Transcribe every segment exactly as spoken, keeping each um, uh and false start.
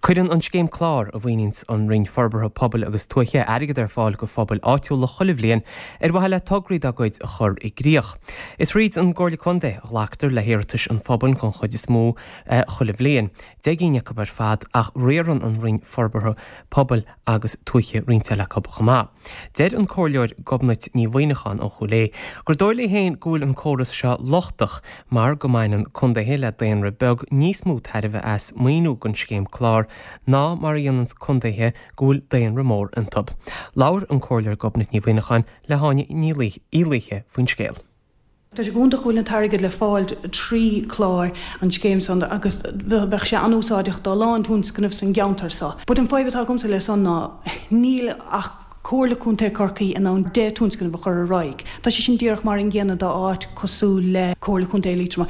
Cuireann an scéim clár a mhaoiníonns an Roinn Forbartha Pobail agus Tuaithe airgead ar fáil go phobail áitiúla chuile bhliain ar mhaithe le tograí dá gcuid a chur i gcrích. Is thríd an gComhairle Contae a ghlactar le hiarratais an phobail den chuid is mó chuile bhliain. Deich gcinn acu ar fad ach riarann an Roinn Forbartha Pobail agus Tuaithe roinnt eile acu chomh maith. Deir an Comhairleoir Gobnait Ní Mhuimhneacháin ó Chúil Aodha gur dóigh léi féin go bhfuil an córas seo lochtach mar go mbaineann contaetha le daonra beag níos mó tairbhe as maoiniú den scéim clár ná mar a dhéanann contaetha go bhfuil daonra mór iontu. Labhair an Comhairleoir Gobnait Ní Mhuimhneacháin le hÁine Ní Laoithe faoin scéal. Tá sé go hiontach go bhfuil an t-airgead le fáil trí chlár an scéim san agus bheadh sé an-úsáideach do lán tionscnamh san gceantar seo. But an fadhb atá agamsa le san ná níl ach Comhairle Contae Chorcaí in ann deich tionscnamh a chur ar aghaidh. Tá sé sin díreach mar an gcéanna do áit cosúil le Comhairle Contae Liatroma.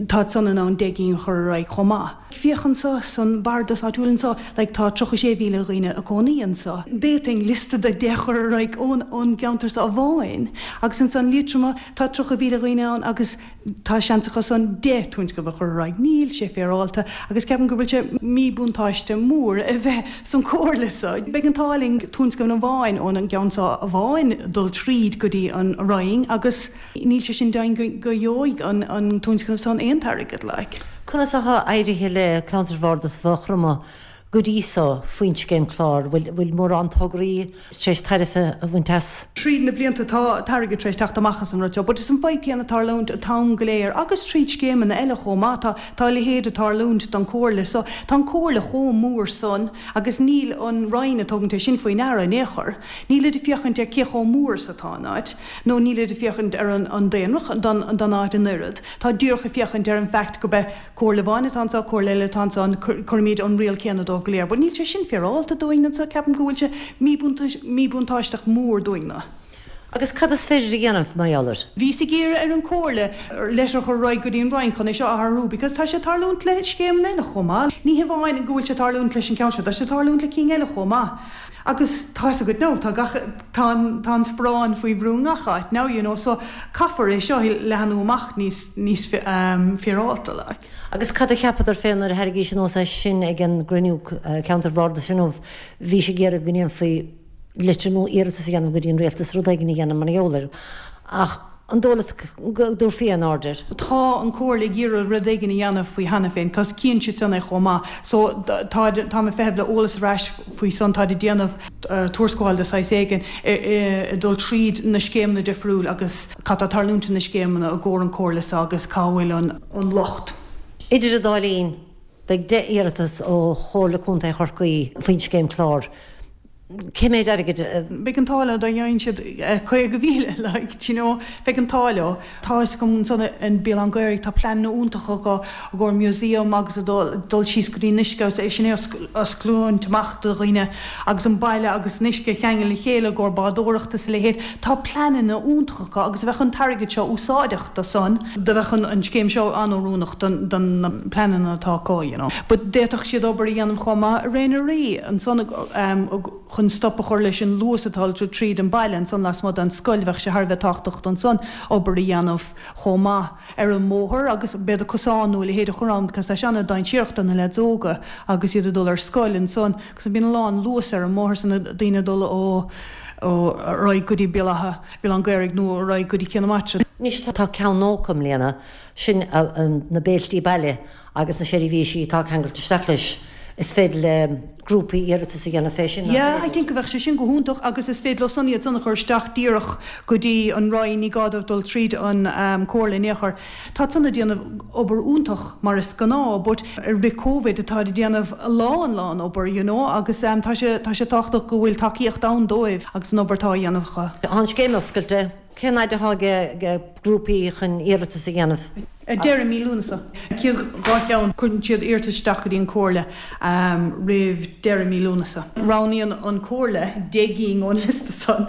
Tá san in ann deich gcinn a chur ar aghaidh chomh maith. Féach anseo san bardas áitiúil anseo, like tá tríocha sé mhíle dhaoine ag cónaí anseo. D'fhéadfainn liosta de deich chur ar aghaidh ón ón gceantar seo amháin. Agus ansan Liatroma tá tríocha mhíle dhaoine ann agus tá seans acu san deich tionscnamh a chur ar aghaidh. Níl sé féaráilte agus ceapaim go bhfuil sé míbhuntáiste mór a bheith san comhairle seo. Beidh an t-ádh linn tionscnamh amháin ón an gceann seo amháin dul tríd go dtí an Roinn agus níl sé sin deimhin go gheobhaidh an an tionscnamh san aon t-airgead like. Conas atá éirithe le ceantar Bhardas Mhaigh Chromtha go dtí seo faoin scéim clár, bhfuil mórán tograí tar éis tairbhe a bhaint as? Tríd na blianta tá t-airgead tar éis teacht amach as an rud seo, but is an fadhb céanna tarlúint an t-am go léir agus tríd scéimeanna eile chomh maith tá tá a leithéid ag tarlúint don comhairle so tá an comhairle chomh mór san agus níl an Roinn ag tógaint é sin faoi ndeara in aon chor. Nílid ag féachaint ar cé chomh mór is atá an áit, nó nílid ag féachaint ar an an daonra don don áit an oiread. Tá díreach ag féachaint ar an fact go beidh comhairle amháin atá anseo, comhairle eile atá anseo, cuirimid an riail céanna dóibh go léir. But níl sé sin féaráilte dúinn anseo, ceapaim go bhfuil sé míbhuntáisteach mór dúinn na. Agus cad is féidir a dhéanamh mar gheall air? Bhíos ag iarraidh ar an comhairle letter a chur ar aghaidh go dtí an Roinn chun é seo a athrú because tá sé tarlúint le scéimeanna eile chomh maith. Ní hamháin go bhfuil sé tarlúint leis an ceann seo, tá sé tarlúint le cinn eile chomh maith. Agus tá a good now, tá gach tá an tá an sparán faoi bhrú ngach áit now, you know, so caithfear é seo leathnú amach níos níos um, féaráilte like. Agus cad a cheapadar féin nuair a tharraingís anuas é sin ag an gcruinniú ceantar bhardais inniu bhí sé ag iarraidh go ndéanfaí litir nó iarratas a dhéanamh go dtí an rialtas rud éigin a dhéanamh mar gheall air. Ach an dóigh leat go dtabharfaí aon aird air. Tá an comhairle ag iarraidh rud éigin a dhéanamh faoi cheana féin, cos cíonn siad san é chomh maith. So tá tá mé feitheamh le eolas ar ais faoi san tá ag déanamh tuarascáil de shaghas éigin i dul tríd na scéimeanna difriúil agus cad tá tarlúint na scéimeanna i gcomhair an comhairle seo agus cá bhfuil an an locht. Idir an dá linn, beidh deich iarratas ó Chomhairle Contae Chorcaí faoin scéim clár. Cé mhéad airgid Beidh an t-ádh leo dá dhéanann siad caoga mhíle like you know beidh an t-ádh leo. Tá fhios agam ansan in Béal Átha an Ghaorthaidh tá pleananna iontacha acu i gcomhair museum agus a dul dul síos go dtí an uisce agus é sin é osclúint amach do dhaoine agus an baile agus an uisce a cheangal le chéile i gcomhair bádóireachta is a leithéid. Tá pleananna iontacha acu agus bheadh an t-airgead seo úsáideach do san, do bheadh an an scéim seo an-oiriúnach don don na pleananna atá acu you know. But d'fhéadfadh siad obair a dhéanamh chomh maith i Ré na Rí ansan um, chun stop a chur leis an luas atá tríd an baile ansan lasmuigh den scoil bheadh sé thar a bheith tábhachtach ansan obair a dhéanamh chomh maith ar an mbóthar agus b'fhéidir cosán nó a leithéid a chur ann because tá sé an-dainséarach do na lads óga agus iad ag dul ar scoil ansan agus bíonn a lán luas ar an mbóthar san daoine ag dul ó ó ar aghaidh go dtí Béal Átha Béal Átha an Ghaorthaidh nó ar aghaidh go dtí Cé na Maite. Anois tá ceann nócha i mbliana sin na béiltí baile agus na seirbhísí atá ceangailte isteach leis. Is féidir le grúpaí iarratas a dhéanamh fé sin. Yeah, I think go bheadh sé sin go hiontach agus is féidir leo san iad san a chur isteach díreach go dtí an Roinn ní gá dóibh dul tríd an um, comhairle in aon chor. Tá san ag déanamh obair iontach mar is gnáth, but rith Covid atá ag déanamh a lán lán obair, you know, agus um, tá sé tá sé tábhachtach go bhfuil tacaíocht ann dóibh agus an obair atá á dhéanamh acu. Tá an scéim oscailte, cén fhad atá ag grúpaí chun iarratas a dhéanamh? Deireadh mí Lúnasa. Céad dhá cheann cuireann siad iarratas isteach go dtí an comhairle um, roimh deireadh mí Lúnasa. Roghnaíonn an comhairle deich gcinn ón liosta san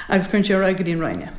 agus cuireann sé ar aghaidh go dtí an Roinn.